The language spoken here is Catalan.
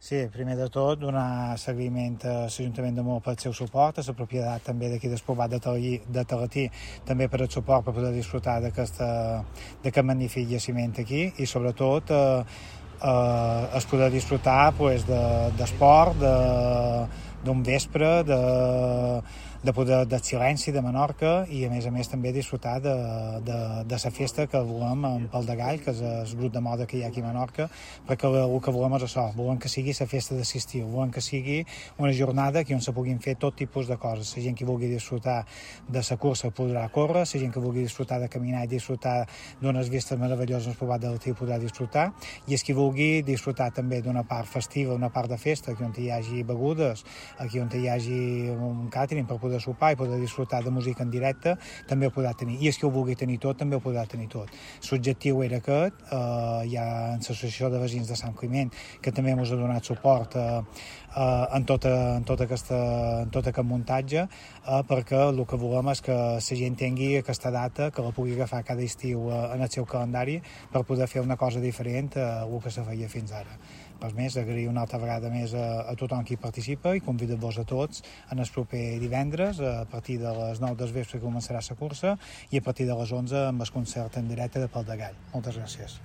Sí, primer de tot, donar seguiment a l'Ajuntament de Maó pel seu suport, a la propietat també d'aquí del Poblat de Talatí, també per el suport per poder disfrutar d'aquest magnífic jaciment aquí i sobretot es poder disfrutar d'esport, d'un vespre, del silenci de Menorca i a més també disfrutar de la festa que volem en Pal de Gall, que és el grup de moda que hi ha aquí a Menorca, perquè el que volem és això, volem que sigui la festa de l'estiu, volem que sigui una jornada on se puguin fer tot tipus de coses. La gent que vulgui disfrutar de la cursa podrà córrer, la gent que vulgui disfrutar de caminar i disfrutar d'unes vistes meravelloses al Poblat de Talatí podrà disfrutar, i els que vulgui disfrutar també d'una part festiva, una part de festa, aquí on hi hagi begudes, aquí on hi hagi un càtering per poder sopar i poder disfrutar de música en directe, també ho podrà tenir. I els que ho vulgui tenir tot, també ho podrà tenir tot. L'objectiu era aquest, hi ha l'Associació de Veïns de Sant Climent, que també ens ha donat suport en tot aquest muntatge, perquè el que volem és que la gent tingui aquesta data, que la pugui agafar cada estiu en el seu calendari per poder fer una cosa diferent a el que se feia fins ara. Per més, agrair una altra vegada més a tothom qui participa i convidar-vos a tots en el proper divendres a partir de les 9 del vespre començarà la cursa i a partir de les 11 amb el concert en directe de Pal de Gall. Moltes gràcies.